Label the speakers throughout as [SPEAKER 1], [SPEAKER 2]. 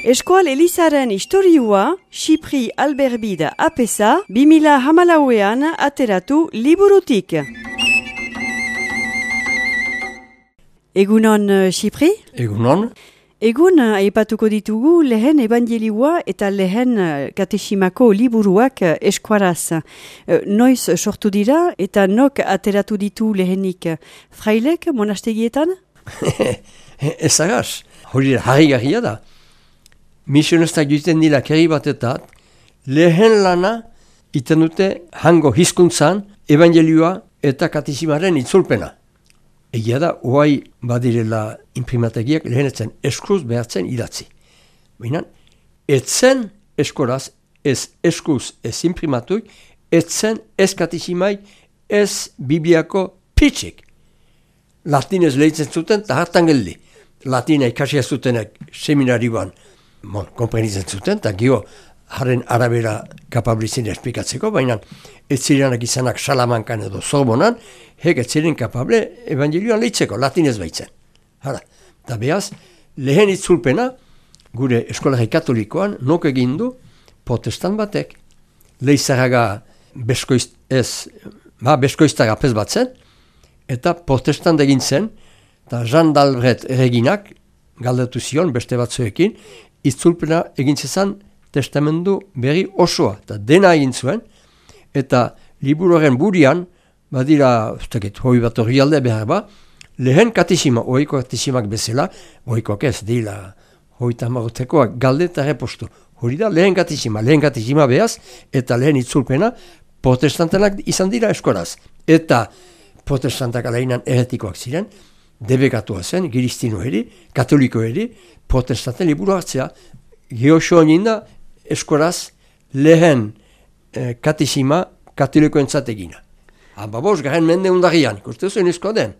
[SPEAKER 1] Eskual Elizaren historiua, Xipri Alberbida apesa, 2014an ateratu liburutik. Egunon, Xipri?
[SPEAKER 2] Egunon.
[SPEAKER 1] Egun aipatuko ditugu lehen evangelioa eta lehen katesimako liburuak eskuaraz. Noiz sortu dira eta nok ateratu ditu lehenik? Frailek monastegietan?
[SPEAKER 2] Ezagaz, hori harrigarria da. Misionestak joiten dira kerri batetat, lehen lana iten dute hango hizkuntzan evangelioa eta katesimaren itzulpena. Egia da, oai badirela imprimategiak lehenetzen eskuz behartzen idatzi. Baina, etzen eskoraz, ez eskuz, ez imprimatuik, etzen ez katesimai, ez bibliako pitxik. Latinez lehitzen zuten, eta hartan geldi. Latina ikasia zutenek seminarioan, komprenitzen zuten, eta gio haren arabera kapablizien esplikatzeko, baina ez zirenak izanak Salamankan edo Sorbonan, hek ez ziren kapable evangelioan lehitzeko, latinez baitzen. Hala, eta behaz, lehen itzulpena, gure eskolari katolikoan, nok egin du protestant batek. Leizaraga beskoiztara apez batzen, eta protestant egin zen, eta Jean d'Albret erreginak, galdetu zion beste batzuekin, itzulpena egin zezan testamendu berri osoa, eta dena egin zuen, eta liburuaren burian, badira, hoi bat hori alde behar ba, lehen katesima, oiko katesimak bezala, oikoak ez, dila, hoita marotekoak galde eta repostu. Hori da, lehen katesima behaz, eta lehen itzulpena, protestantenak izan dira eskoraz. Eta protestantak alainan eretikoak ziren, debekatua zen, giristino eri, katoliko eri, protestanten liburu hartzea, geoso ninda, eskoraz lehen katesima katolikoentzat egina. Hamabost garen mende undarian, ikuste zuen izko den.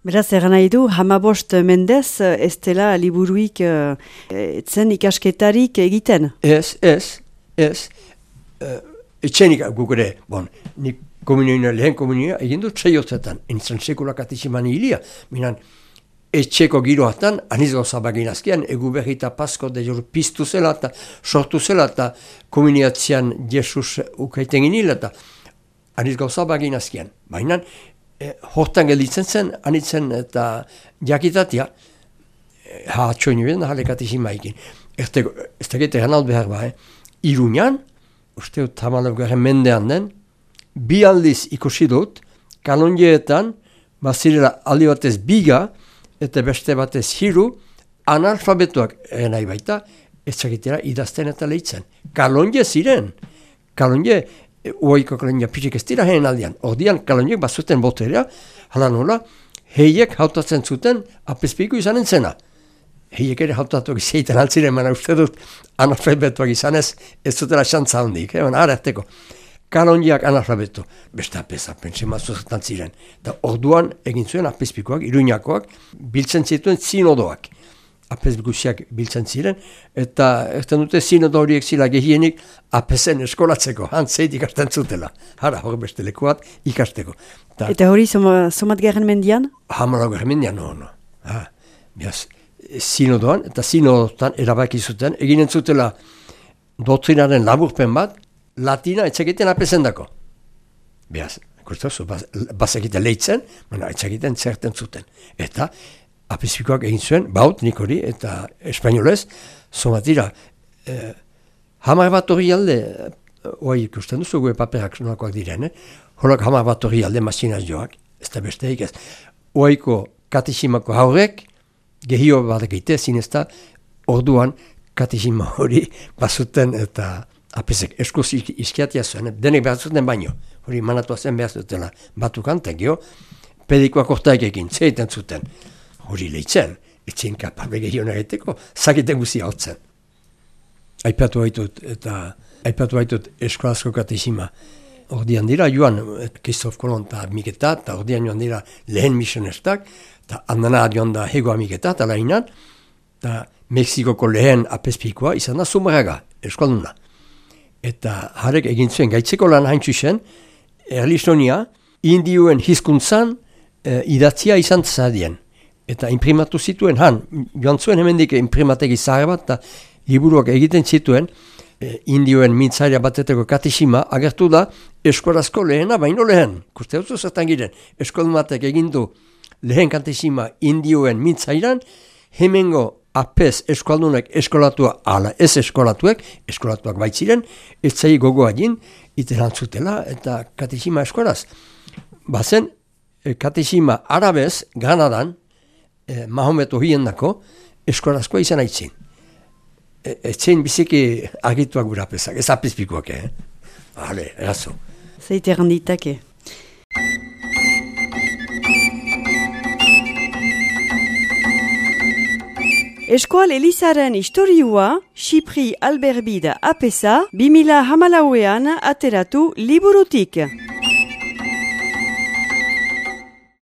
[SPEAKER 1] Beraz, eran nahi du, hamabost mendez ez dela liburuik etzen ikasketarik egiten?
[SPEAKER 2] Ez. Etxenik gukure, nik lehen komunioa egin dut txaiotzetan, enitzen sekula katesiman hilia, minan etxeko giroatan, aniz gauza bagin azkian, egu berrita pasko de jor piztu zela eta sortu zela eta komuniatzean Jesus ukaiten ginila eta aniz gauza bagin azkian. Baina, hortan gelditzen zen, anitzen eta jakitatia, atxoin nuen, jale katesima egin. Ez tegete ganalt behar ba, Iruñan, uste tamalok garen mendean den, bi aldiz ikusi dut, kanonjeetan, bazirela aldi batez biga, eta beste batez hiru, analfabetuak nahi baita, ez zakitera idazten eta lehitzen. Kalonje ziren. Kalonje, uaiko kalonja pitzik ez dira heen aldean. Ordian kalonjek bazuten boterea, hala nola, heiek hautatzen zuten apezpiku izanen zena. Heiek ere hautatuak izaiten altziren, mana uste dut analfabetuak izanez, ez zutela xantza hondik, ararteko. Kalonjiak analfabetu, beste apesa, pentsemazuzetan ziren. Eta orduan egin zuen apezpikoak, Iruñakoak, biltzen zituen zinodoak. Apezbikusiak biltzen ziren, eta erten dute zinodo horiek zila gehienik apesen eskolatzeko, hantzeit ikasten zutela. Hara, hori beste lekuat ikasteko.
[SPEAKER 1] Eta hori somat garen mendian?
[SPEAKER 2] Hamala garen mendian, no. Zinodoan, eta zinodotan erabaki zuten, eginen zutela doktrinaren laburpen bat, Latina etzakiten apesendako. Beaz, bazakiten lehitzen, etzakiten zerten zuten. Eta apezpikoak egin zuen, baut, nik hori, eta espainolez, somatira, hamar bat hori alde, oai ikusten duzu gue paperak nolakoak diren, holak hamar bat hori alde masinaz joak, ez da besteik ez. Oaiko katesimako haurek, gehio bat egite, zinezta, orduan katesima hori bazuten eta apesek eskuz izkiatia zuen, denek behar zuten baino. Hori manatua zen behar zutela batukan, eta gero, pedikoak ortaik egin, zeiten zuten. Hori lehitzen, etzien kapable gehiago egiteko, zakiten guzia hotzen. Aipatu haitut eskolazko katesima. Ordian dira, joan Kristof Kolon eta Miketa, eta ordian joan dira lehen misionestak, eta handana joan da hego Miketa, eta lainan, eta Mexikoko lehen apezpikoa izan da Zumaraga, eskualduna. Eta harek egin zuen gaitzeko lan haintzuzen, Erlistonia, indioen hizkuntzan idatzia izan zadien. Eta imprimatu zituen joan zuen hemendik imprimategi zahar bat, eta liburuak egiten zituen, indioen mintzaria bateteko katexima, agertu da eskorazko lehena, baino lehen. Kuste dut zertan giren, eskolmatek egindu lehen katexima indioen mintzairan, hemengo apez eskaldunek eskolatua, ala ez eskolatuak baitziren, ez zai gogoa jin, iterantzutela eta katexima eskoraz. Bazen, katexima arabez, Granadan, Mahomet ohiendako, eskorazkoa izan aitzin. Etxein biziki agituak gura pesak, ez apizpikoak, Hale, erazo.
[SPEAKER 1] Zeite erranditake. Eskual Elizaren historiua, Xipri Alberbida apesa, 2014an ateratu liburutik.